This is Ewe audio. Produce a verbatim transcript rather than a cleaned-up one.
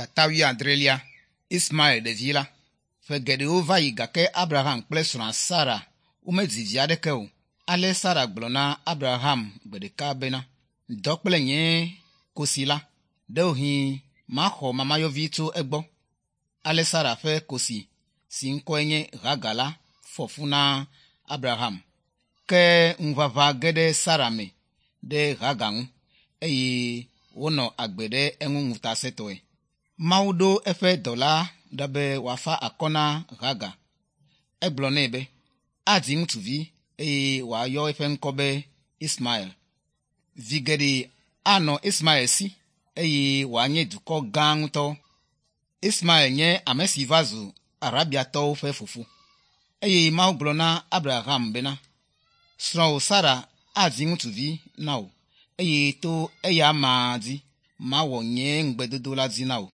Tata wuiadrelia Ismael ɖevi la. Ƒe geɖewo va yi gake Abraham kple srɔ̃a Sara womedzi vi aɖeke o. Ale Sara gblɔ na Abraham gbe ɖeka bena, dɔ kple nye kosi la, ɖewohĩ maxɔ mamayɔvi tso egbɔ. Ale Sara ƒe kosi si ŋkɔe nye Hagar la fɔ fu na Abraham. Ke ŋuʋaʋã ge ɖe Sara me ɖe Hagar ŋu eye wònɔ agbe ɖe eŋu ŋutasẽtɔe. Mawu ɖo eƒe dɔla ɖa be wòafa akɔ na Hagar. Egblɔ nɛ be, adzi ŋutsuvi eye wòayɔ eƒe ŋkɔ be Ismael. Vi geɖe anɔ Ismael si eye wòanye dukɔ gã ŋutɔ. Ismael nye ame si va zu Arabiatɔwo ƒe fofo. Eye Mawu gblɔ na Abraham bena, srɔ̃wò Sara adzi ŋutsuvi na wò eye to eya amea dzi mawɔ nye ŋugbedodo la dzi na wò.